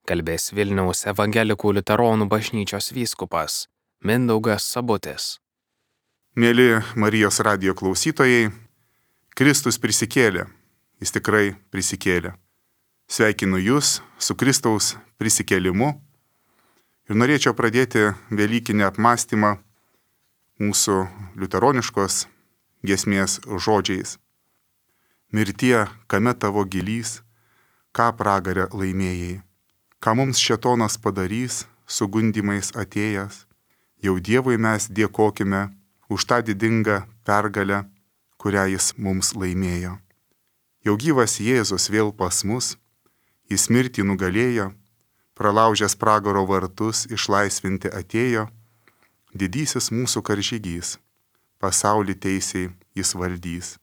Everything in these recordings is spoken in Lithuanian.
Kalbės Vilniaus evangelikų liuteronų bažnyčios vyskupas Mindaugas Sabutis. Mėly Marijos radijo klausytojai, Kristus prisikėlė, jis tikrai prisikėlė. Sveikinu Jūs su Kristaus prisikėlimu ir norėčiau pradėti velykinį apmąstymą mūsų liuteroniškos giesmės žodžiais. Mirtie, kame tavo gilys, ką pragarę laimėjai, ką mums šėtonas padarys, su gundymais atėjęs, jau Dievui mes dėkokime už tą didingą pergalę, kurią jis mums laimėjo. Jau gyvas Jėzus vėl pas mus, jis mirtį nugalėjo, pralaužęs pragaro vartus išlaisvinti atėjo, didysis mūsų karžygys, pasaulį teisiai jis valdys,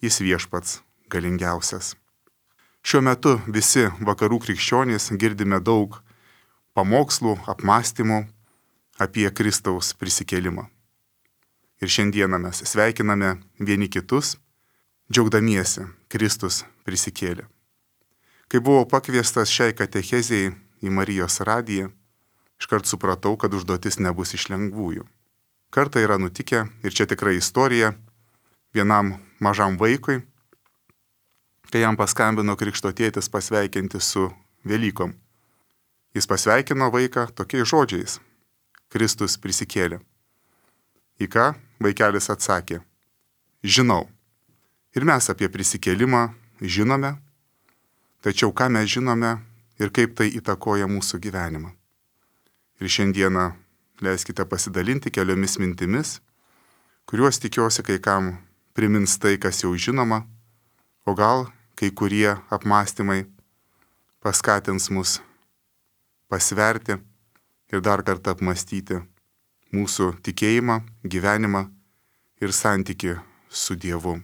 jis viešpats galingiausias. Šiuo metu visi vakarų krikščionys girdime daug pamokslų, apmąstymų apie Kristaus prisikėlimą. Ir šiandieną mes sveikiname vieni kitus, džiaugdamiesi Kristus prisikėlė. Kai buvau pakviestas šiai katechezijai į Marijos radiją, iškart supratau, kad užduotis nebus iš lengvųjų. Kartą yra nutikę, ir čia tikrai istorija, vienam mažam vaikui, kai jam paskambino krikšto tėtis pasveikinti su Velykom. Jis pasveikino vaiką tokiais žodžiais: Kristus prisikėlė. Į ką vaikelis atsakė: žinau. Ir mes apie prisikėlimą žinome, tačiau ką mes žinome ir kaip tai įtakoja mūsų gyvenimą. Ir šiandieną leiskite pasidalinti keliomis mintimis, kuriuos tikiuosi kai kam primins tai, kas jau žinoma, o gal kai kurie apmąstymai paskatins mus pasverti ir dar kartą apmąstyti mūsų tikėjimą, gyvenimą ir santykį su Dievu.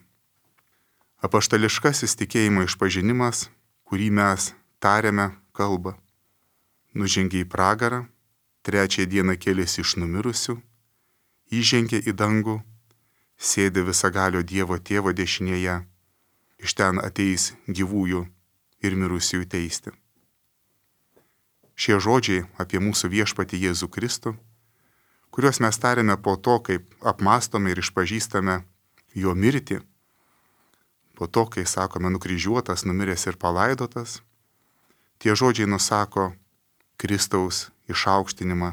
Apaštališkasis tikėjimo išpažinimas, kurį mes tariame kalbą: nužengė į pragarą, trečiąją dieną kėlėsi iš numirusių, įžengė į dangų, sėdi visagalio Dievo tėvo dešinėje, iš ten ateis gyvųjų ir mirusiųjų teisti. Šie žodžiai apie mūsų viešpatį Jėzų Kristų, kuriuos mes tariame po to, kaip apmąstome ir išpažįstame jo mirtį, po to, kai sakome nukryžiuotas, numiręs ir palaidotas, tie žodžiai nusako Kristaus išaukštinimą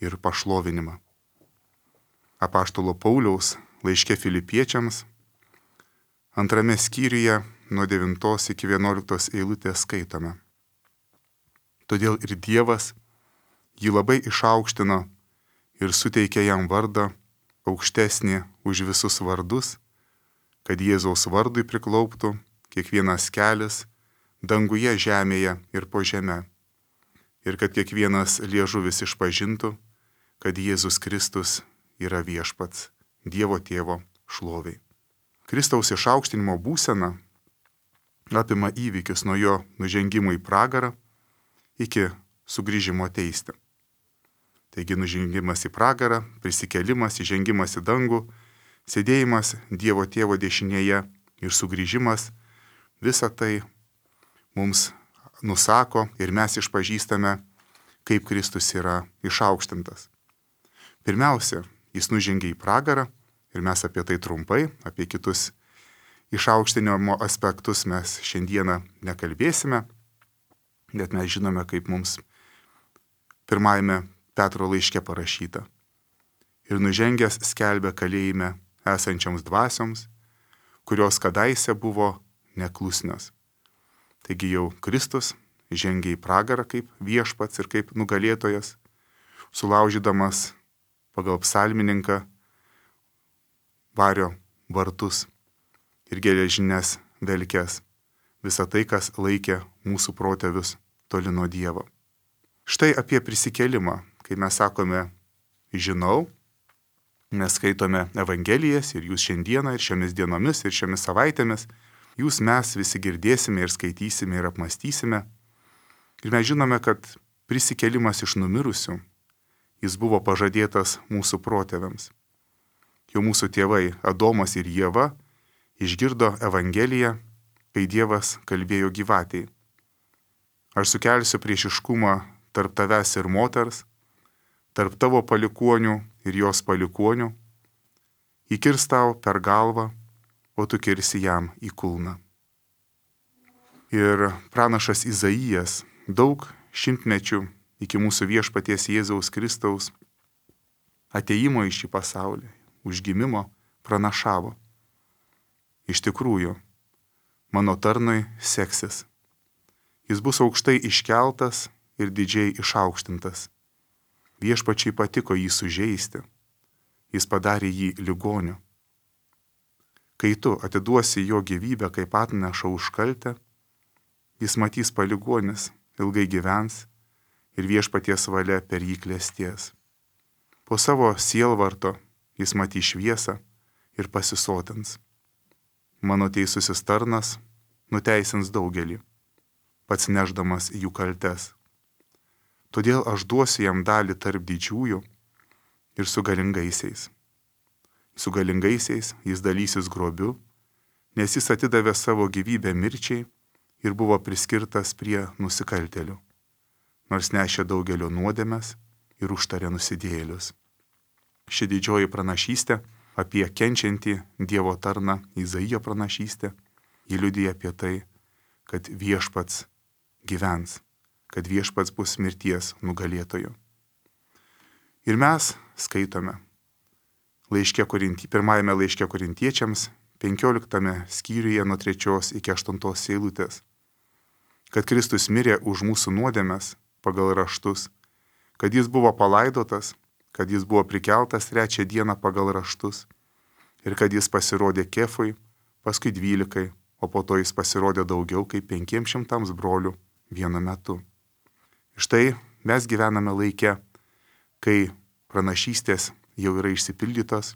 ir pašlovinimą. Apaštalo Pauliaus laiške Filipiečiams 2 skyriuje nuo 9 iki 11 eilutės skaitome: todėl ir Dievas jį labai išaukštino ir suteikė jam vardą aukštesnį už visus vardus, kad Jėzaus vardui priklauptų kiekvienas kelis danguje, žemėje ir po žeme, ir kad kiekvienas liežuvis išpažintų, kad Jėzus Kristus yra viešpats, Dievo tėvo šloviai. Kristaus išaukštinimo būsena apima įvykius nuo jo nužengimo į pragarą iki sugrįžimo teisti. Taigi nužengimas į pragarą, prisikėlimas, įžengimas į dangų, sėdėjimas Dievo tėvo dešinėje ir sugrįžimas, visa tai mums nusako ir mes išpažįstame, kaip Kristus yra išaukštintas. Pirmiausia, jis nužengė į pragarą ir mes apie tai trumpai, apie kitus išaukštinimo aspektus mes šiandieną nekalbėsime, bet mes žinome, kaip mums pirmajame Petro laiške parašyta: ir nužengęs skelbė kalėjime esančioms dvasioms, kurios kadaise buvo neklusnios. Taigi jau Kristus žengė į pragarą kaip viešpats ir kaip nugalėtojas, sulaužydamas pagal psalmininką vario vartus ir geležines velkes, visą tai, kas laikė mūsų protėvius toli nuo Dievo. Štai apie prisikėlimą, kai mes sakome žinau, mes skaitome Evangelijas ir jūs šiandieną ir šiomis dienomis ir šiomis savaitėmis, jūs mes visi girdėsime ir skaitysime ir apmąstysime. Ir mes žinome, kad prisikėlimas iš numirusių, jis buvo pažadėtas mūsų protėviams. Jau mūsų tėvai Adomas ir Ieva išgirdo Evangeliją, kai Dievas kalbėjo gyvatei. Aš sukelsiu priešiškumą tarp tavęs ir moters, tarp tavo palikuonių ir jos palikuonių. Įkirs tau per galvą, o tu kirsi jam į kulną. Ir pranašas Izaijas daug šimtmečių iki mūsų viešpaties Jėzaus Kristaus ateimo į šį pasaulį, užgimimo pranašavo. Iš tikrųjų, mano tarnui seksis. Jis bus aukštai iškeltas ir didžiai išaukštintas. Viešpačiai patiko jį sužeisti. Jis padarė jį ligoniu. Kai tu atiduosi jo gyvybę kaip atnašą už kaltę, jis matys paligonis, ilgai gyvens ir viešpaties valia per jį klesties. Po savo sielvarto jis matys šviesą ir pasisotins. Mano teisusis tarnas nuteisins daugelį, pats nešdamas jų kaltes. Todėl aš duosiu jam dalį tarp didžiųjų ir su galingaisiais. Su galingaisiais jis dalysis grobiu, nes jis atidavė savo gyvybę mirčiai ir buvo priskirtas prie nusikaltėlių, nors nešė daugelio nuodėmes ir užtarė nusidėjėlius. Ši didžioji pranašystė apie kenčiantį Dievo tarną, Izaijo pranašystė, ji liudija apie tai, kad viešpats gyvens, kad viešpats bus mirties nugalėtoju. Ir mes skaitome pirmajame laiške Korintiečiams, 15 skyriuje nuo 3 iki 8 eilutės, kad Kristus mirė už mūsų nuodėmes pagal raštus, kad jis buvo palaidotas, kad jis buvo prikeltas 3 dieną pagal raštus ir kad jis pasirodė Kefui, paskui 12, o po to jis pasirodė daugiau kaip 500 brolių vienu metu. Štai mes gyvename laike, kai pranašystės jau yra išsipildytos.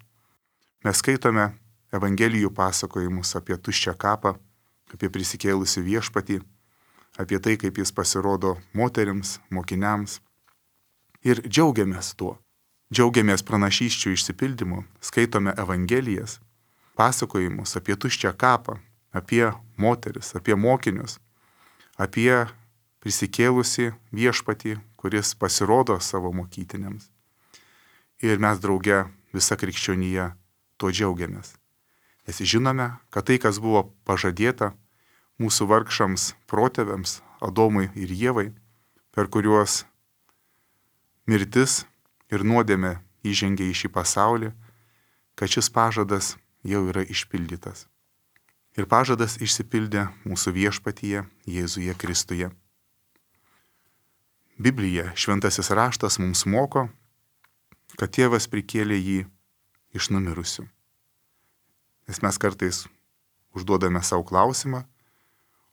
Mes skaitome Evangelijų pasakojimus apie tuščią kapą, apie prisikėlusių viešpatį, apie tai, kaip jis pasirodo moterims, mokiniams. Ir džiaugiamės tuo. Džiaugiamės pranašysčių išsipildymu, skaitome Evangelijas, pasakojimus apie tuščią kapą, apie moteris, apie mokinius, apie prisikėlusi viešpatį, kuris pasirodo savo mokytiniams. Ir mes drauge visa krikščionija tuo džiaugiamės. Nes žinome, kad tai, kas buvo pažadėta mūsų vargšams protėviams, Adomui ir Ievai, per kuriuos mirtis ir nuodėmė įžengė į šį pasaulį, kad šis pažadas jau yra išpildytas. Ir pažadas išsipildė mūsų viešpatyje Jėzuje Kristuje. Biblija, šventasis raštas mums moko, kad tėvas prikėlė jį iš numirusių. Nes mes kartais užduodame savo klausimą,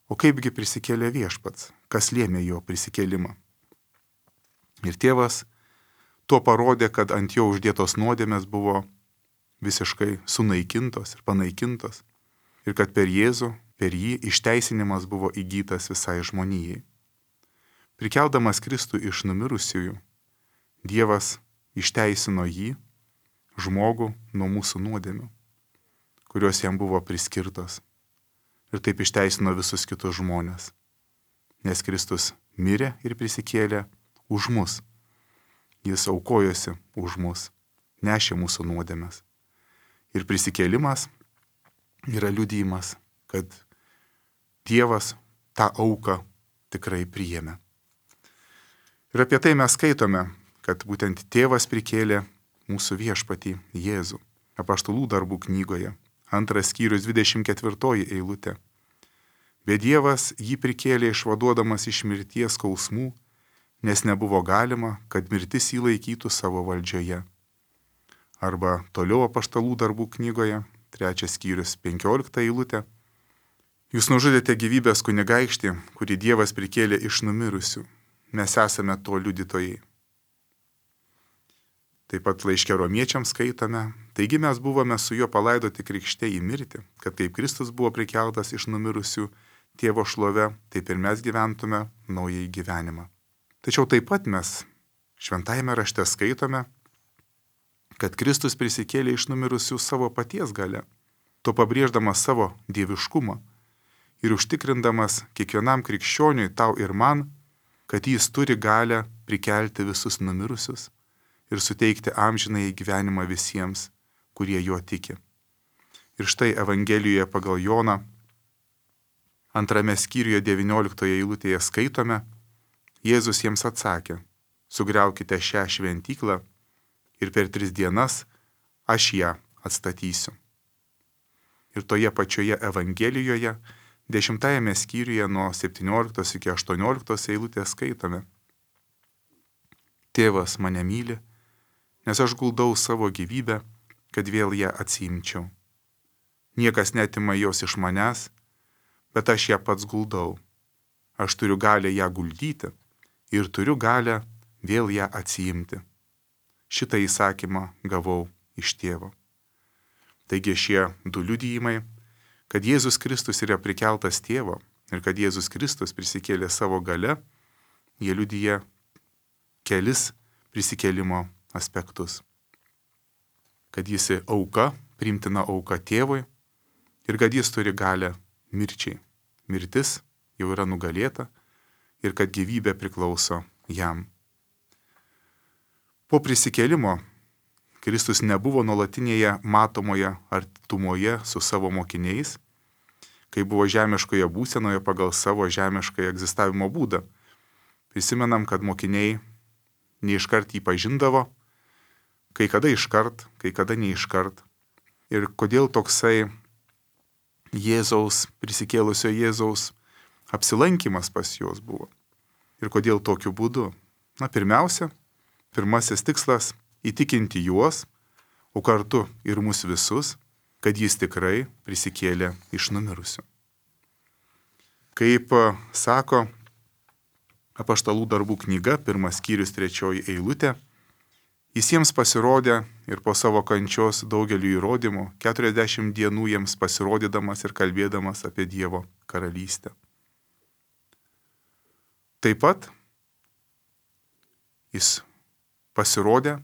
o kaipgi prisikėlė viešpats, kas lėmė jo prisikėlimą. Ir tėvas tuo parodė, kad ant jo uždėtos nuodėmės buvo visiškai sunaikintos ir panaikintos, ir kad per Jėzų, per jį išteisinimas buvo įgytas visai žmonijai. Prikeldamas Kristų iš numirusiųjų, Dievas išteisino jį, žmogų, nuo mūsų nuodėmių, kurios jam buvo priskirtos. Ir taip išteisino visus kitus žmonės. Nes Kristus mirė ir prisikėlė už mus. Jis aukojosi už mus, nešė mūsų nuodėmes. Ir prisikėlimas yra liudijimas, kad Dievas tą auką tikrai priėmė. Ir apie tai mes skaitome, kad būtent tėvas prikėlė mūsų viešpatį Jėzų. Apaštalų darbų knygoje, 2 skyrius 24 eilutė. Bet Dievas jį prikėlė išvaduodamas iš mirties skausmų, nes nebuvo galima, kad mirtis jį laikytų savo valdžioje. Arba toliau apaštalų darbų knygoje, 3 skyrius 15 eilutė. Jūs nužudėte gyvybės kunigaikštį, kurį Dievas prikėlė iš numirusių. Mes esame to liudytojai. Taip pat laiške Romiečiams skaitome, taigi mes buvome su juo palaidoti krikšte į mirtį, kad kaip Kristus buvo prikeltas iš numirusių tėvo šlove, taip ir mes gyventume naująjį gyvenimą. Tačiau taip pat mes šventajame rašte skaitome, kad Kristus prisikėlė iš numirusių savo paties galia, to pabrėždamas savo dieviškumą ir užtikrindamas kiekvienam krikščioniui, tau ir man, kad jis turi galę prikelti visus numirusius ir suteikti amžinąjį gyvenimą visiems, kurie juo tiki. Ir štai Evangelijoje pagal Joną 2 skyriuje 19 eilutėje skaitome, Jėzus jiems atsakė, sugriaukite šią šventyklą ir per 3 dienas aš ją atstatysiu. Ir toje pačioje Evangelijoje 10 skyriuje nuo 17 iki 18 eilutės skaitome. Tėvas mane myli, nes aš guldau savo gyvybę, kad vėl ją atsiimčiau. Niekas netima jos iš manęs, bet aš ją pats guldau. Aš turiu galę ją guldyti ir turiu galę vėl ją atsiimti. Šitą įsakymą gavau iš tėvo. Taigi šie 2 liudijimai, kad Jėzus Kristus yra prikeltas tėvo ir kad Jėzus Kristus prisikėlė savo gale, jie liudija kelis prisikėlimo aspektus. Kad jis auka, priimtina auka tėvui ir kad jis turi galę mirčiai. Mirtis jau yra nugalėta ir kad gyvybė priklauso jam. Po prisikėlimo Kristus nebuvo nuolatinėje matomoje artumoje su savo mokiniais, kai buvo žemiškoje būsenoje pagal savo žemišką egzistavimo būdą. Prisimenam, kad mokiniai neiškart jį pažindavo, kai kada iškart, kai kada neiškart. Ir kodėl toksai Jėzaus, prisikėlusio Jėzaus apsilankimas pas juos buvo. Ir kodėl tokiu būdu? Pirmiausia, pirmasis tikslas – įtikinti juos, o kartu ir mus visus, kad jis tikrai prisikėlė iš numirusių. Kaip sako Apaštalų darbų knyga, 1 skyrius 3 eilutė, jis jiems pasirodė ir po savo kančios daugeliu įrodymų 40 dienų jiems pasirodydamas ir kalbėdamas apie Dievo karalystę. Taip pat jis pasirodė,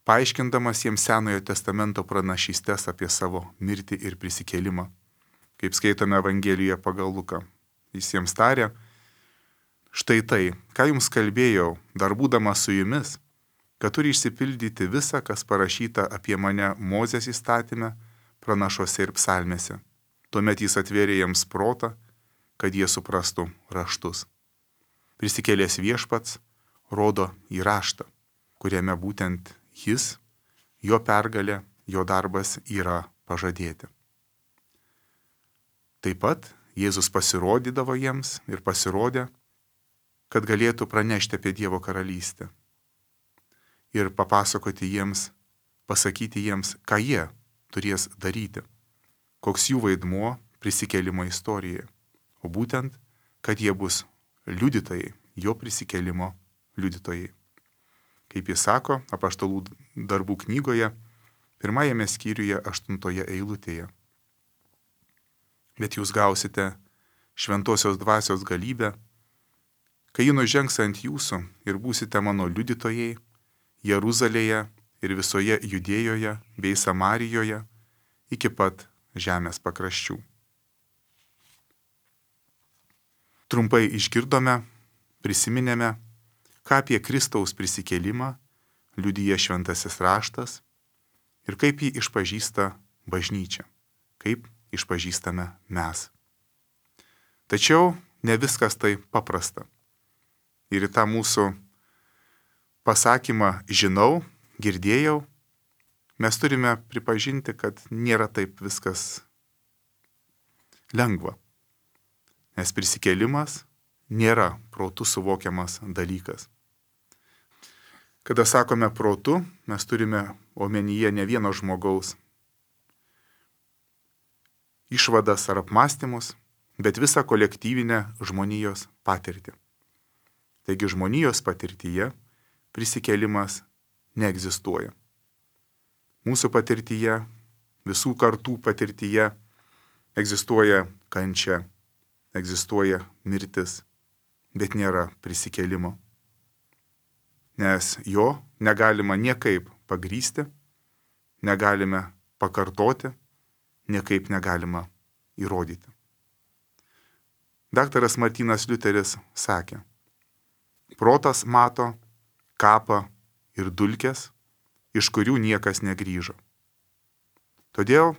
paaiškindamas jiems Senojo testamento pranašystės apie savo mirtį ir prisikėlimą. Kaip skaitome Evangelijoje pagal Luką. Jis jiems tarė, štai tai, ką jums kalbėjau, dar būdamas su jumis, kad turi išsipildyti visa, kas parašyta apie mane Mozės įstatyme, pranašuose ir psalmėse. Tuomet jis atvėrė jiems protą, kad jie suprastų raštus. Prisikėlęs Viešpats rodo į raštą, kuriame būtent jis, jo pergalė, jo darbas yra pažadėti. Taip pat Jėzus pasirodydavo jiems ir pasirodė, kad galėtų pranešti apie Dievo karalystę ir papasakoti jiems, pasakyti jiems, ką jie turės daryti, koks jų vaidmuo prisikėlimo istorijoje, o būtent, kad jie bus liudytojai, jo prisikėlimo liudytojai. Kaip jis sako Apaštalų darbų knygoje, 1 skyriuje 8 eilutėje. Bet jūs gausite šventosios dvasios galybę, kai ji nužengs ant jūsų ir būsite mano liudytojai Jeruzalėje ir visoje Judėjoje bei Samarijoje iki pat žemės pakraščių. Trumpai išgirdome, prisiminėme, ką apie Kristaus prisikėlimą liudija šventasis raštas ir kaip jį išpažįsta bažnyčia, kaip išpažįstame mes. Tačiau ne viskas tai paprasta. Ir į tą mūsų pasakymą žinau, girdėjau, mes turime pripažinti, kad nėra taip viskas lengva. Nes prisikėlimas nėra protu suvokiamas dalykas. Kada sakome protu, mes turime omenyje ne vieno žmogaus išvadas ar apmąstymus, bet visą kolektyvinę žmonijos patirtį. Taigi žmonijos patirtyje prisikėlimas neegzistuoja. Mūsų patirtyje, visų kartų patirtyje egzistuoja kančia, egzistuoja mirtis, bet nėra prisikėlimo. Nes jo negalima niekaip pagrįsti, negalime pakartoti, niekaip negalima įrodyti. Daktaras Martynas Liuteris sakė, Protas mato kapą ir dulkes, iš kurių niekas negrįžo. Todėl,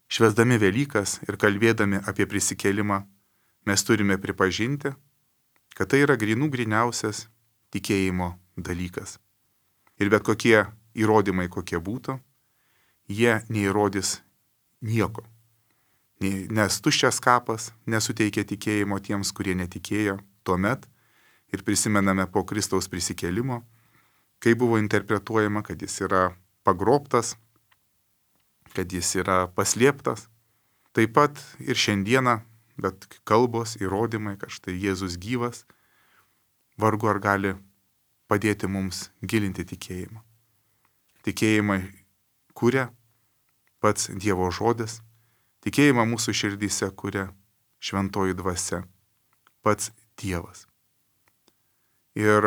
švęsdami Velykas ir kalbėdami apie prisikėlimą, mes turime pripažinti, kad tai yra gryniausias tikėjimo dalykas. Ir bet kokie įrodymai, kokie būtų, jie neįrodys nieko. Nes tuščias kapas nesuteikia tikėjimo tiems, kurie netikėjo tuomet ir prisimename po Kristaus prisikėlimo, kai buvo interpretuojama, kad jis yra pagrobtas, kad jis yra paslėptas. Taip pat ir šiandieną, bet kalbos, įrodymai, kad štai Jėzus gyvas, vargu ar gali padėti mums gilinti tikėjimą. Tikėjimą kuria pats Dievo žodis, tikėjimą mūsų širdyse kuria šventoji dvasia, pats Dievas. Ir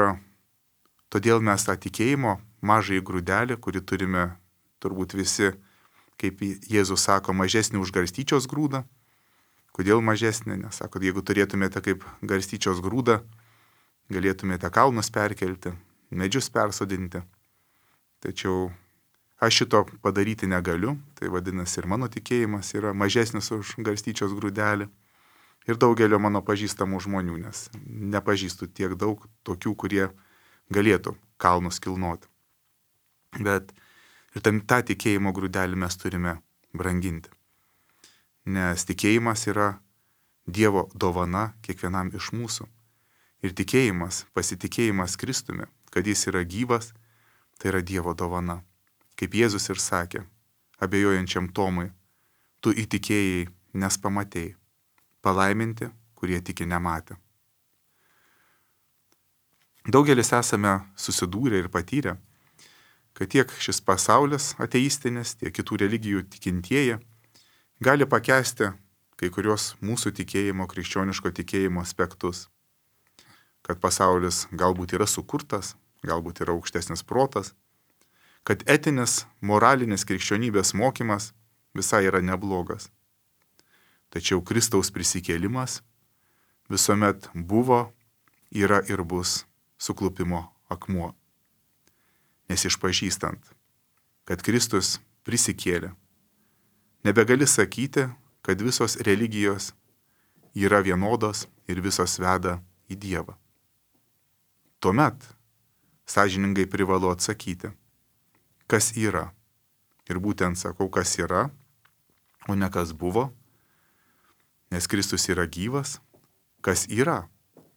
todėl mes tą tikėjimo mažąjį grūdelį, kurį turime turbūt visi, kaip Jėzus sako, mažesnį už garstyčios grūdą. Kodėl mažesnį? Nes sako, jeigu turėtumėte kaip garstyčios grūdą, galėtumėte kalnus perkelti, medžius persodinti. Tačiau aš šito padaryti negaliu, tai vadinasi ir mano tikėjimas yra mažesnis už garstyčios grūdelį. Ir daugelio mano pažįstamų žmonių, nes nepažįstu tiek daug tokių, kurie galėtų kalnus kilnoti. Bet ir tą tikėjimo grūdelį mes turime branginti. Nes tikėjimas yra Dievo dovana kiekvienam iš mūsų. Ir tikėjimas, pasitikėjimas Kristumi, kad jis yra gyvas, tai yra Dievo dovana. Kaip Jėzus ir sakė, abejojančiam Tomui, tu įtikėjai, nes pamatėjai. Palaiminti, kurie tiki nematę. Daugelis esame susidūrę ir patyrę, kad tiek šis pasaulis ateistinis, tiek kitų religijų tikintieji gali pakęsti kai kurios mūsų tikėjimo, krikščioniško tikėjimo aspektus. Kad pasaulis galbūt yra sukurtas, galbūt yra aukštesnis protas, kad etinis, moralinis krikščionybės mokymas visai yra neblogas. Tačiau Kristaus prisikėlimas visuomet buvo, yra ir bus suklupimo akmuo. Nes išpažįstant, kad Kristus prisikėlė, nebegali sakyti, kad visos religijos yra vienodos ir visos veda į Dievą. Tuomet sąžiningai privalu atsakyti, kas yra. Ir būtent sakau, kas yra, o ne kas buvo. Nes Kristus yra gyvas, kas yra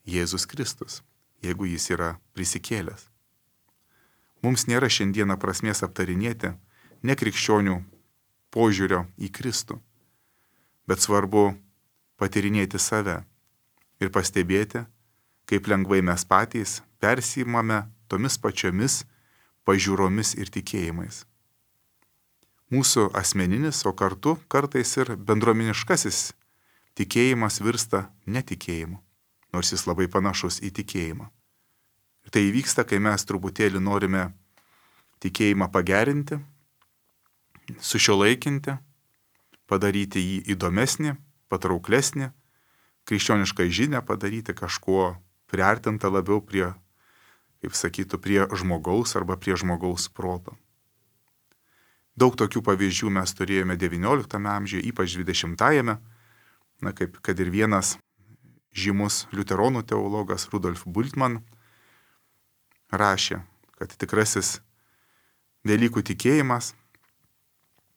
Jėzus Kristus, jeigu jis yra prisikėlęs. Mums nėra šiandieną prasmės aptarinėti nekrikščionių požiūrio į Kristų, bet svarbu patyrinėti save ir pastebėti, kaip lengvai mes patys persiimame tomis pačiomis pažiūromis ir tikėjimais. Mūsų asmeninis, o kartu kartais ir bendruomeniškasis tikėjimas virsta netikėjimu, nors jis labai panašus į tikėjimą. Ir tai įvyksta, kai mes truputėlį norime tikėjimą pagerinti, sušiuolaikinti, padaryti jį įdomesnį, patrauklesnį, krikščionišką žinią padaryti kažkuo priartinta labiau prie, kaip sakytų, prie žmogaus arba prie žmogaus proto. Daug tokių pavyzdžių mes turėjome XIX amžiuje, ypač XX-ame. Kaip kad ir vienas žymus liuteronų teologas Rudolf Bultmann rašė, kad tikrasis Velykų tikėjimas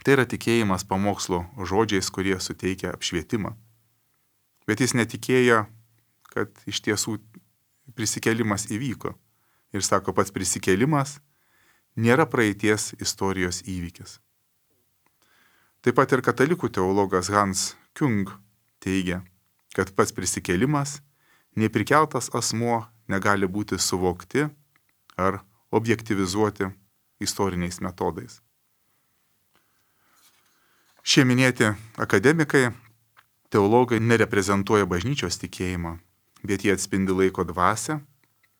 tai yra tikėjimas pamokslo žodžiais, kurie suteikia apšvietimą. Bet jis netikėjo, kad iš tiesų prisikėlimas įvyko. Ir sako, pats prisikėlimas nėra praeities istorijos įvykis. Taip pat ir katalikų teologas Hans Küng teigia, kad pats prisikėlimas, neprikeltas asmuo negali būti suvokti ar objektyvizuoti istoriniais metodais. Šie minėti akademikai, teologai nereprezentuoja bažnyčios tikėjimą, bet jie atspindi laiko dvasią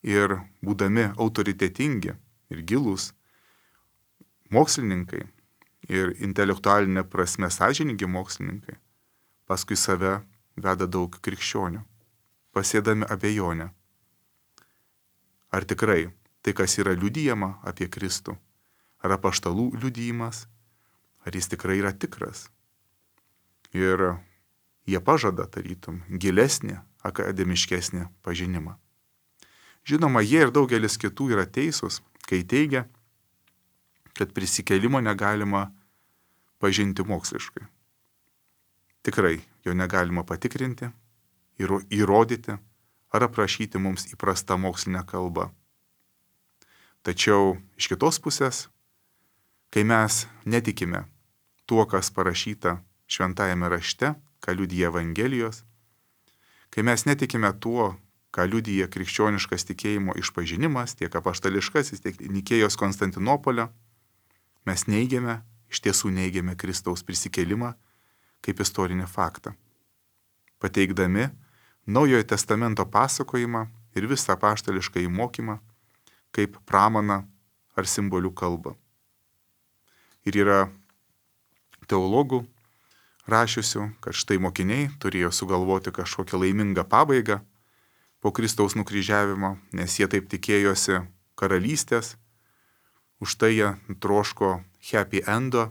ir būdami autoritetingi ir gilūs mokslininkai ir intelektualinė prasme sąžiningi mokslininkai, paskui save veda daug krikščionių, pasėdami abejonę. ar tikrai tai, kas yra liudijama apie Kristų, ar apaštalų liudijimas, ar jis tikrai yra tikras. Ir jie pažada, tarytum, gilesnį, akademiškesnį pažinimą. Žinoma, jie ir daugelis kitų yra teisūs, kai teigia, kad prisikėlimo negalima pažinti moksliškai. Tikrai jo negalima patikrinti, įrodyti ar aprašyti mums įprastą mokslinę kalbą. Tačiau iš kitos pusės, kai mes netikime tuo, kas parašyta šventajame rašte, ką liudija Evangelijos, kai mes netikime tuo, ką liudija krikščioniškas tikėjimo išpažinimas, tiek apaštališkasis, tiek Nikėjos Konstantinopolio, mes neigiame, iš tiesų neigiame Kristaus prisikėlimą kaip istorinį faktą, pateikdami Naujojo testamento pasakojimą ir visą apaštališką įmokymą kaip pramaną ar simbolių kalbą. Ir yra teologų rašiusių, kad štai mokiniai turėjo sugalvoti kažkokią laimingą pabaigą po Kristaus nukryžiavimo, nes jie taip tikėjosi karalystės, už tai jie troško happy endo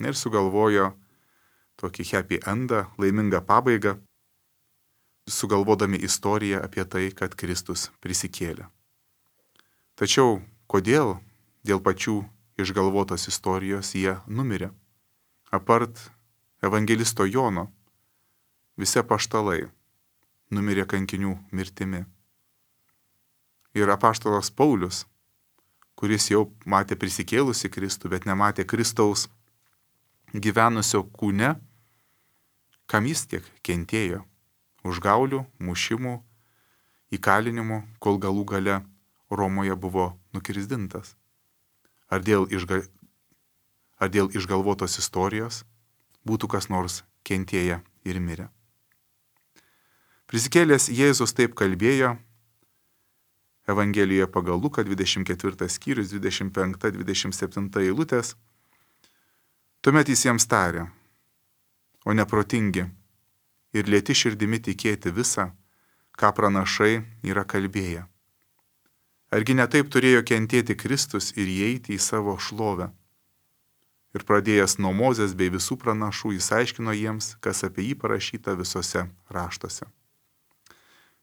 ir sugalvojo tokį happy endą, laimingą pabaigą, sugalvodami istoriją apie tai, kad Kristus prisikėlė. Tačiau kodėl dėl pačių išgalvotos istorijos jie numirė? Apart evangelisto Jono, visi apaštalai numirė kankinių mirtimi. Ir apaštalas Paulius, kuris jau matė prisikėlusi Kristų, bet nematė Kristaus gyvenusio kūne, kam jis tiek kentėjo, užgaulių, mušimų, įkalinimų, kol galų gale Romoje buvo nukirsdintas. Ar dėl išgalvotos istorijos būtų kas nors kentėję ir mirę? Prisikėlęs Jėzus taip kalbėjo Evangelijoje pagal Luką 24 skyrius 25-27 eilutės. Tuomet jis jiems tarė, o neprotingi ir lėti širdimi tikėti visą, ką pranašai yra kalbėję. Argi netaip turėjo kentėti Kristus ir įeiti į savo šlovę? Ir pradėjęs nuo Mozės bei visų pranašų, jis aiškino jiems, kas apie jį parašyta visose raštuose.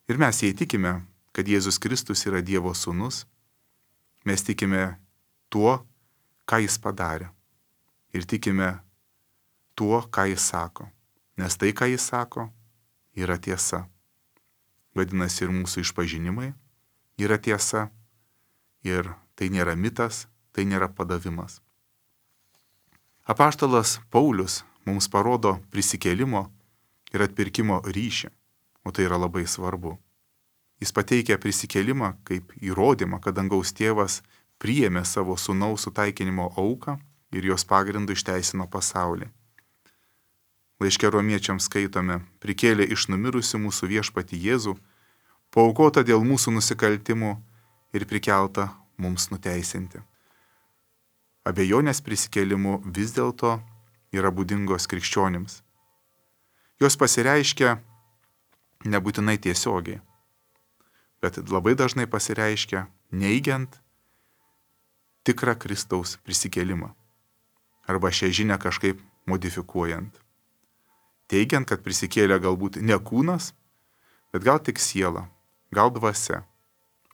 Ir mes jei tikime, kad Jėzus Kristus yra Dievo sūnus, mes tikime tuo, ką jis padarė. Ir tikime tuo, ką jis sako. Nes tai, ką jis sako, yra tiesa. Vadinasi, ir mūsų išpažinimai yra tiesa. Ir tai nėra mitas, tai nėra padavimas. Apaštalas Paulius mums parodo prisikėlimo ir atpirkimo ryšį, o tai yra labai svarbu. Jis pateikia prisikėlimą kaip įrodymą, kad dangaus tėvas priėmė savo sūnaus sutaikinimo auką ir jos pagrindų išteisino pasaulį. Laiške romiečiams skaitome, prikėlė iš numirusių mūsų viešpatį Jėzų, paaukota dėl mūsų nusikaltimų ir prikelta mums nuteisinti. Abejonės prisikėlimu vis dėlto yra būdingos krikščionims. Jos pasireiškia nebūtinai tiesiogiai, bet labai dažnai pasireiškia neigiant tikrą Kristaus prisikėlimą arba šią žinią kažkaip modifikuojant. Teigiant, kad prisikėlė galbūt ne kūnas, bet gal tik siela, gal dvasia,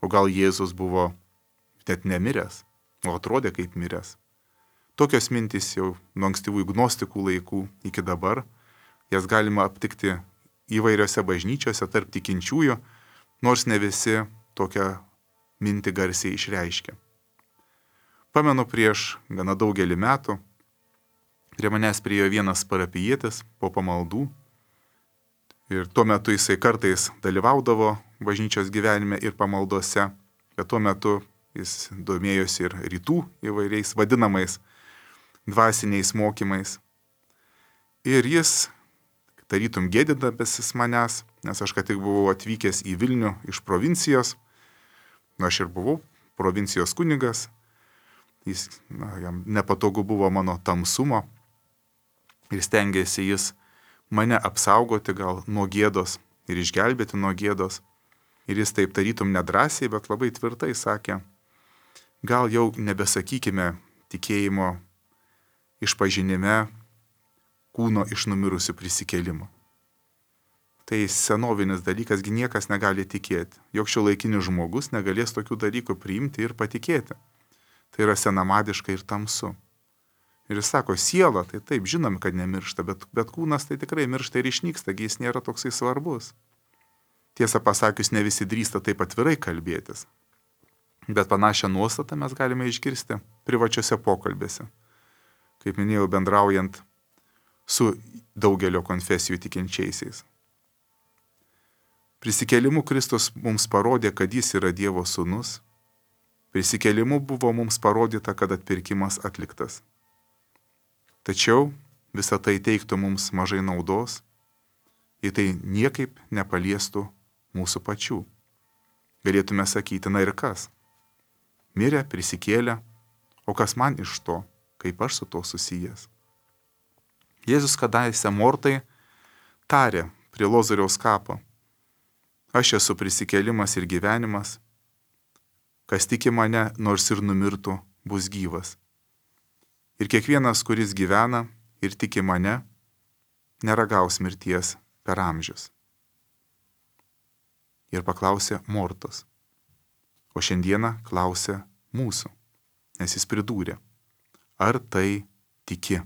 o gal Jėzus buvo net nemiręs, o atrodė kaip miręs. Tokios mintys jau nuo ankstyvųjų gnostikų laikų iki dabar, jas galima aptikti įvairiose bažnyčiose tarp tikinčiųjų, nors ne visi tokią mintį garsiai išreiškia. Pamenu, prieš gana daugelį metų prie manęs priėjo vienas parapijietis po pamaldų ir tuo metu jisai kartais dalyvaudavo bažnyčios gyvenime ir pamaldose, bet tuo metu jis domėjosi ir rytų įvairiais vadinamais dvasiniais mokymais. Ir jis, tarytum gėdindasis manęs, nes aš ką tik buvau atvykęs į Vilnių iš provincijos, aš ir buvau provincijos kunigas, jam nepatogu buvo mano tamsumo ir stengiasi jis mane apsaugoti gal nuo gėdos ir išgelbėti nuo gėdos. Ir jis taip tarytum nedrąsiai, bet labai tvirtai sakė, gal jau nebesakykime tikėjimo išpažinime kūno iš numirusių prisikėlimo. Tai senovinis dalykas, gi niekas negali tikėti. Jok šiuolaikinis žmogus negalės tokių dalykų priimti ir patikėti. Tai yra senamadiška ir tamsu. Ir jis sako, siela, tai taip, žinom, kad nemiršta, bet kūnas tai tikrai miršta ir išnyksta, gi jis nėra toksai svarbus. Tiesą pasakius, ne visi drįsta taip atvirai kalbėtis. Bet panašią nuostatą mes galime išgirsti privačiose pokalbėse. Kaip minėjau, bendraujant su daugelio konfesijų tikinčiaisiais. Prisikėlimu Kristus mums parodė, kad jis yra Dievo sūnus. Prisikėlimu buvo mums parodyta, kad atpirkimas atliktas. Tačiau visą tai teiktų mums mažai naudos, jei tai niekaip nepaliestų mūsų pačių. Galėtume sakyti, na ir kas? Mirė, prisikėlė, o kas man iš to, kaip aš su to susijęs? Jėzus kadaise Mortai tarė prie Lozoriaus kapo, aš esu prisikėlimas ir gyvenimas, kas tiki mane, nors ir numirtų, bus gyvas. Ir kiekvienas, kuris gyvena ir tiki mane, neragaus mirties per amžius. Ir paklausė Mortos, o šiandieną klausė mūsų, nes jis pridūrė, ar tai tiki?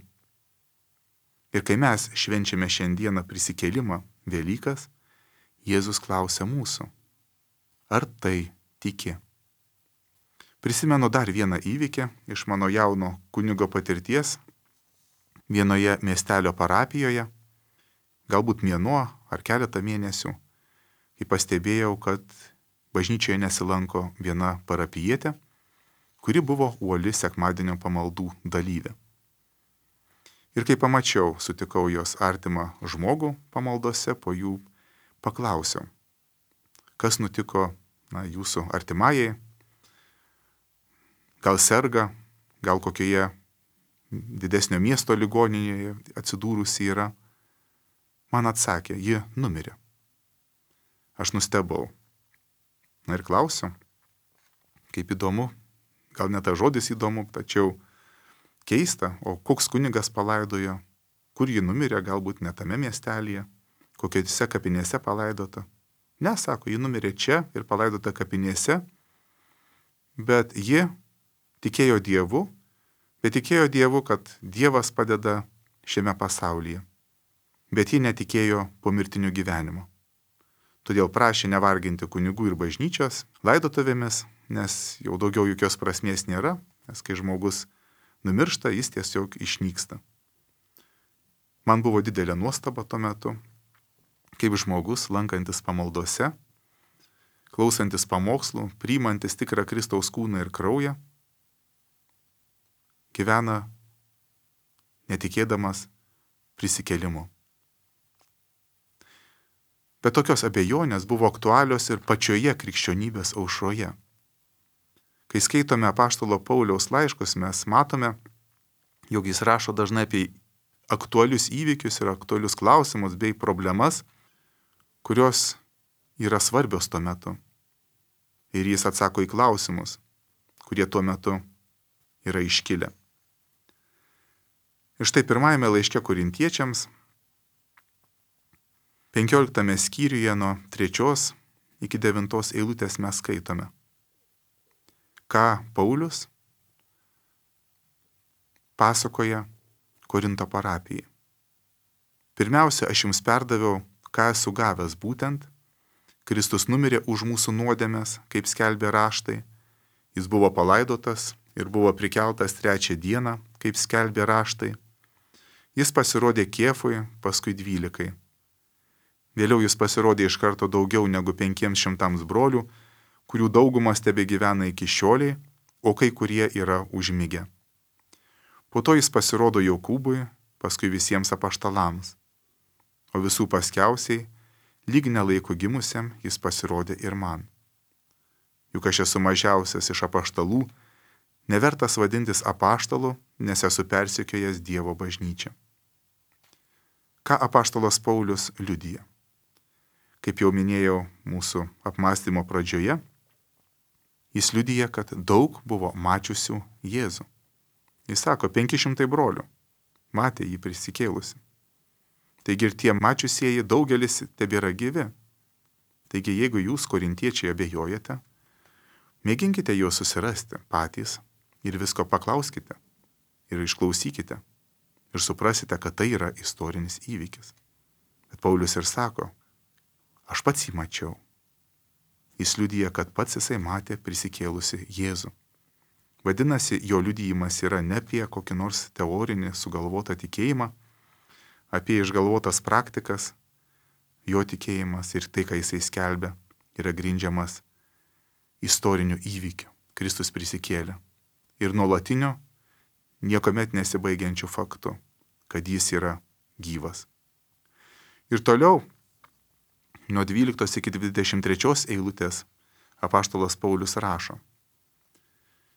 Ir kai mes švenčiame šiandieną prisikėlimą, Velykas, Jėzus klausė mūsų, ar tai tiki? Prisimenu dar vieną įvykį iš mano jauno kunigo patirties vienoje miestelio parapijoje, galbūt mėnuo ar keletą mėnesių, kai pastebėjau, kad bažnyčioje nesilanko viena parapijietė, kuri buvo uoli sekmadienio pamaldų dalyvė. Ir kai pamačiau, sutikau jos artimą žmogų pamaldose, po jų paklausiau, kas nutiko jūsų artimajai, gal serga, gal kokioje didesnio miesto ligoninėje atsidūrusi yra. Man atsakė, ji numirė. Aš nustebau. Na ir klausiu, kaip įdomu, gal ne tas žodis įdomu, tačiau keista, o koks kunigas palaidojo, kur ji numirė, galbūt ne tame miestelėje, kokiose kapinėse palaidota. Ne, sako, ji numirė čia ir palaidota kapinėse, bet ji tikėjo Dievu, bet tikėjo Dievu, kad Dievas padeda šiame pasaulyje. Bet ji netikėjo pomirtiniu gyvenimu. Todėl prašė nevarginti kunigų ir bažnyčios laidotuvėmis, nes jau daugiau jokios prasmės nėra, nes kai žmogus numiršta, jis tiesiog išnyksta. Man buvo didelė nuostaba tuo metu, kaip žmogus, lankantis pamaldose, klausantis pamokslų, priimantis tikrą Kristaus kūną ir kraują, gyvena netikėdamas prisikėlimu. Bet tokios abejonės buvo aktualios ir pačioje krikščionybės aušroje. Kai skaitome apaštalo Pauliaus laiškus, mes matome, jog jis rašo dažnai apie aktualius įvykius ir aktualius klausimus bei problemas, kurios yra svarbios tuo metu. Ir jis atsako į klausimus, kurie tuo metu yra iškilę. Ir štai pirmajame laiške Korintiečiams, 15 skyriuje nuo 3 iki 9 eilutės mes skaitome, ką Paulius pasakoja Korinto parapijai. Pirmiausia, aš jums perdaviau, ką esu gavęs būtent, Kristus numirė už mūsų nuodėmes, kaip skelbė raštai, jis buvo palaidotas ir buvo prikeltas 3 dieną, kaip skelbė raštai, jis pasirodė Kėfui, paskui 12. Vėliau jis pasirodė iš karto daugiau negu 500 brolių, kurių daugumas tebegyvena iki šioliai, o kai kurie yra užmigę. Po to jis pasirodo Jokūbui, paskui visiems apaštalams. O visų paskiausiai, lyg nelaiko gimusiam, jis pasirodė ir man. Juk aš esu mažiausias iš apaštalų, nevertas vadintis apaštalu, nes esu persekiojęs Dievo bažnyčią. Ką apaštalas Paulius liudija? kaip jau minėjau mūsų apmąstymo pradžioje, jis liudija, kad daug buvo mačiusių Jėzų. Jis sako, 500 brolių matė jį prisikėlusi. Taigi ir tie mačiusieji daugelis tebėra gyvi. Taigi jeigu jūs, korintiečiai, abejojate, mėginkite juos susirasti patys ir visko paklauskite ir išklausykite ir suprasite, kad tai yra istorinis įvykis. Bet Paulius ir sako, aš pats jį mačiau. Jis liudija, kad pats jisai matė prisikėlusi Jėzų. Vadinasi, jo liudijimas yra ne apie kokį nors teorinį sugalvotą tikėjimą, apie išgalvotas praktikas, jo tikėjimas ir tai, ką jisai skelbia, yra grindžiamas istoriniu įvykiu. Kristus prisikėlė. Ir nuolatinio, niekuomet nesibaigiančių faktų, kad jis yra gyvas. Ir toliau, nuo 12 iki 23 eilutės, apaštalas Paulius rašo.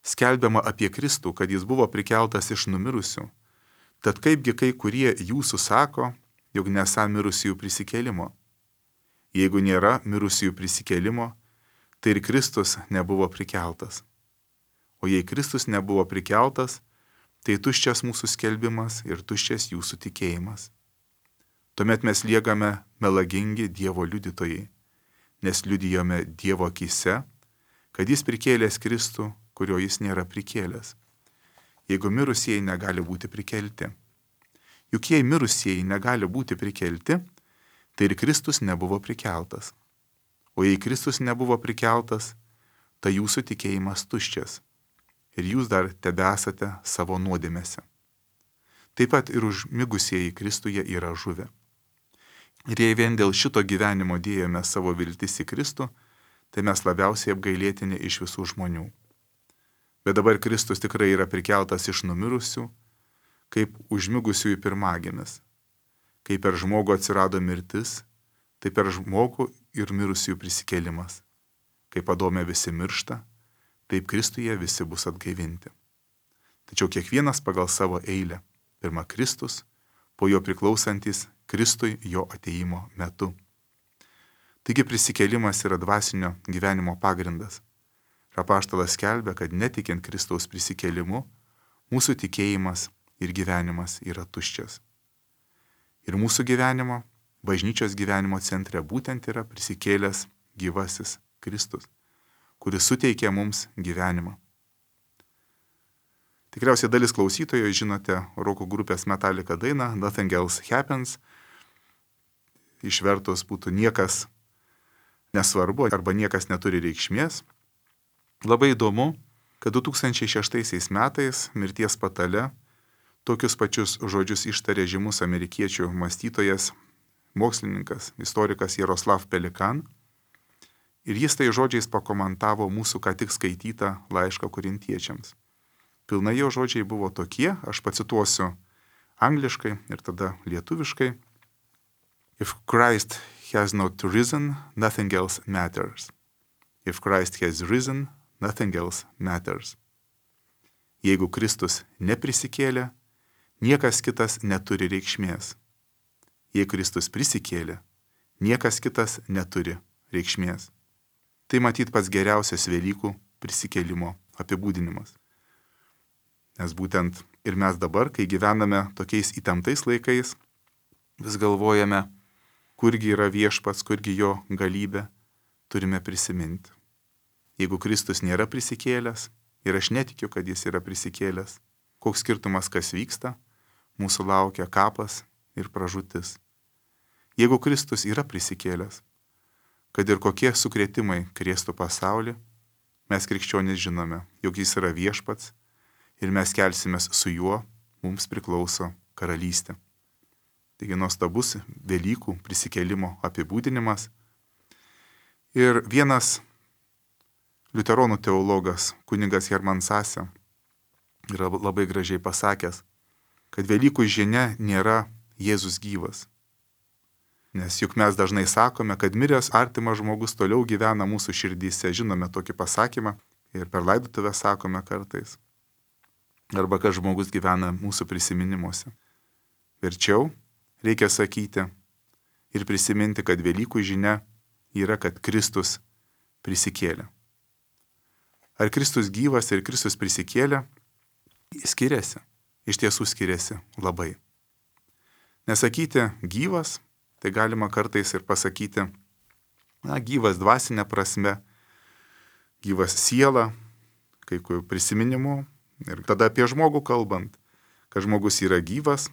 Skelbiama apie Kristų, kad jis buvo prikeltas iš numirusių. Tad kaipgi kai kurie jūsų sako, jog nesą mirusiųjų prisikėlimo. Jeigu nėra mirusiųjų prisikėlimo, tai ir Kristus nebuvo prikeltas. O jei Kristus nebuvo prikeltas, tai tuščias mūsų skelbimas ir tuščias jūsų tikėjimas. Tuomet mes liekame melagingi Dievo liudytojai, nes liudijome Dievo akyse, kad jis prikėlęs Kristų, kurio jis nėra prikėlęs. Jeigu mirusieji negali būti prikelti. Juk jei mirusieji negali būti prikelti, tai ir Kristus nebuvo prikeltas. O jei Kristus nebuvo prikeltas, tai jūsų tikėjimas tuščias. Ir jūs dar tebesate savo nuodėmėse. Taip pat ir užmigusieji Kristuje yra žuvę. Ir jei vien dėl šito gyvenimo dėjome savo viltis į Kristų, tai mes labiausiai apgailėtini iš visų žmonių. Bet dabar Kristus tikrai yra prikeltas iš numirusių, kaip užmigusiųjų pirmagimis. Kaip per žmogų atsirado mirtis, tai per žmogų ir mirusiųjų prisikėlimas. Kaip Adome visi miršta, taip Kristuje visi bus atgaivinti. Tačiau kiekvienas pagal savo eilę. Pirma Kristus, po jo priklausantis Kristui jo atėjimo metu. Taigi prisikėlimas yra dvasinio gyvenimo pagrindas. Apaštalas skelbia, kad netikint Kristaus prisikėlimu, mūsų tikėjimas ir gyvenimas yra tuščias. Ir mūsų gyvenimo, bažnyčios gyvenimo centre būtent yra prisikėlęs gyvasis Kristus, kuris suteikia mums gyvenimą. Tikriausiai dalis klausytojų žinote roko grupės Metallica dainą Nothing Else Happens. Išvertus būtų niekas nesvarbu arba niekas neturi reikšmės. Labai įdomu, kad 2006 metais mirties patale tokius pačius žodžius ištarė žymus amerikiečių mąstytojas, mokslininkas, istorikas Jaroslav Pelikan. Ir jis tai žodžiais pakomentavo mūsų ką tik skaitytą laišką korintiečiams. Pilnai jo žodžiai buvo tokie, aš pacituosiu angliškai ir tada lietuviškai. If Christ has not risen, nothing else matters. If Christ has risen, nothing else matters. Jeigu Kristus neprisikėlė, niekas kitas neturi reikšmės. Jei Kristus prisikėlė, niekas kitas neturi reikšmės. Tai matyt pats geriausias Velykų prisikėlimo apibūdinimas. Nes būtent ir mes dabar, kai gyvename tokiais įtemptais laikais, vis galvojame, kurgi yra viešpats, kurgi jo galybė, turime prisiminti. Jeigu Kristus nėra prisikėlęs, ir aš netikiu, kad jis yra prisikėlęs, koks skirtumas, kas vyksta, mūsų laukia kapas ir pražūtis. Jeigu Kristus yra prisikėlęs, kad ir kokie sukrėtimai krėstų pasaulį, mes krikščionys žinome, jog jis yra viešpats ir mes kelsimės su juo, mums priklauso karalystė. Taigi nuostabus Velykų prisikėlimo apibūdinimas. Ir vienas liuteronų teologas, kunigas Herman Sase, yra labai gražiai pasakęs, kad Velykų žinia nėra Jėzus gyvas. Nes juk mes dažnai sakome, kad miręs artimas žmogus toliau gyvena mūsų širdyse. Žinome tokį pasakymą ir per laidotuvę sakome kartais. Arba kad žmogus gyvena mūsų prisiminimuose. Verčiau reikia sakyti ir prisiminti, kad Velykų žinia yra, kad Kristus prisikėlė. Ar Kristus gyvas ir Kristus prisikėlė? Skiriasi. Iš tiesų skiriasi labai. Nesakyti gyvas, tai galima kartais ir pasakyti, gyvas dvasinė prasme, gyvas siela, kai kurių prisiminimų. Ir tada apie žmogų kalbant, kad žmogus yra gyvas,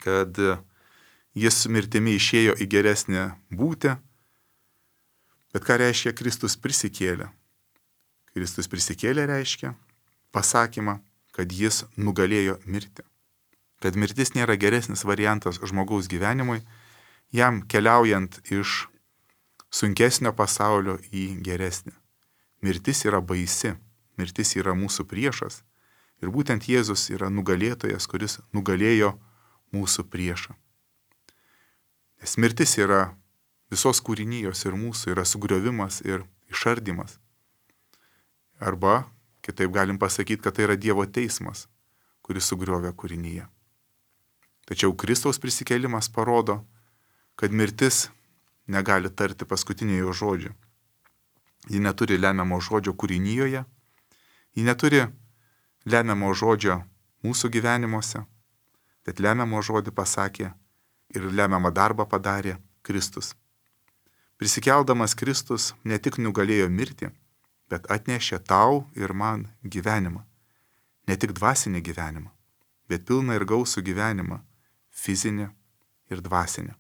kad jis su mirtimi išėjo į geresnę būtį. Bet ką reiškia Kristus prisikėlė? Kristus prisikėlė reiškia pasakymą, kad jis nugalėjo mirtį. Kad mirtis nėra geresnis variantas žmogaus gyvenimui, jam keliaujant iš sunkesnio pasaulio į geresnį. Mirtis yra baisi, mirtis yra mūsų priešas. Ir būtent Jėzus yra nugalėtojas, kuris nugalėjo mūsų priešą. Nes mirtis yra visos kūrinijos ir mūsų, yra sugriovimas ir išardymas. Arba, kitaip galim pasakyti, kad tai yra Dievo teismas, kuris sugriovė kūrinyje. Tačiau Kristaus prisikėlimas parodo, kad mirtis negali tarti paskutiniojo žodžio. Ji neturi lemiamo žodžio kūrinyje, ji neturi lemiamo žodžio mūsų gyvenimuose, bet lemiamo žodį pasakė ir lemiamą darbą padarė Kristus. Prisikeldamas Kristus ne tik nugalėjo mirtį, bet atnešė tau ir man gyvenimą. Ne tik dvasinį gyvenimą, bet pilną ir gausų gyvenimą, fizinį ir dvasinį.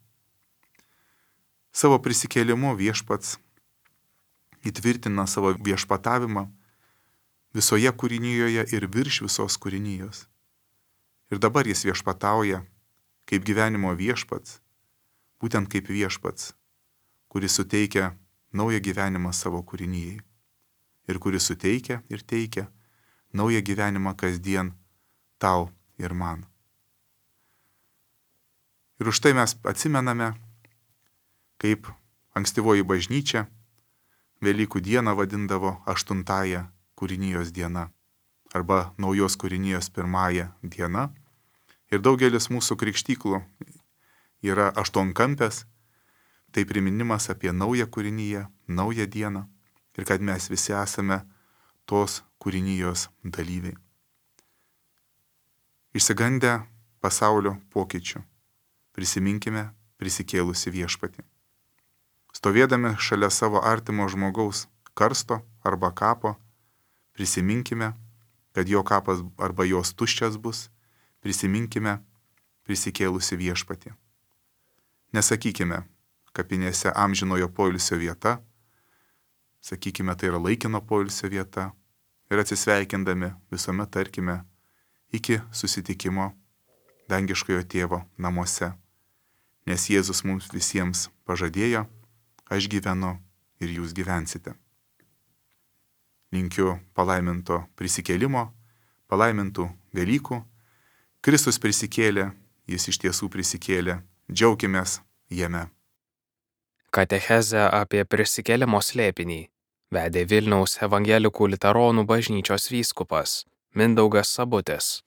Savo prisikėlimu Viešpats įtvirtina savo viešpatavimą visoje kūrinyje ir virš visos kūrinijos. Ir dabar jis viešpatauja kaip gyvenimo viešpats, būtent kaip viešpats, kuris suteikia naują gyvenimą savo kūrinyjei. Ir kuris suteikia ir teikia naują gyvenimą kasdien tau ir man. Ir už tai mes atsimename, kaip ankstyvoji bažnyčia Velykų dieną vadindavo 8-ąją kūrinijos diena arba naujos kūrinijos 1-ąją diena. Ir daugelis mūsų krikštyklų yra 8-kampės, tai priminimas apie naują kūriniją, naują dieną. Ir kad mes visi esame tos kūrinijos dalyviai. Išsigandę pasaulio pokyčių, prisiminkime prisikėlusi viešpatį. Stovėdami šalia savo artimo žmogaus karsto arba kapo, prisiminkime, kad jo kapas arba jos tuščias bus, prisiminkime prisikėlusi viešpatį. Nesakykime, kapinėse amžinojo poilsio vieta, sakykime, tai yra laikino poilsio vieta ir atsisveikindami visuomet tarkime iki susitikimo dangiškojo tėvo namuose, nes Jėzus mums visiems pažadėjo, aš gyvenu ir jūs gyvensite. Linkiu palaiminto prisikėlimo, palaimintų Velykų. Kristus prisikėlė, jis iš tiesų prisikėlė, džiaukimės jame. Katechezę apie prisikėlimo slėpinį vedė Vilniaus evangelikų liuteronų bažnyčios vyskupas Mindaugas Sabutis.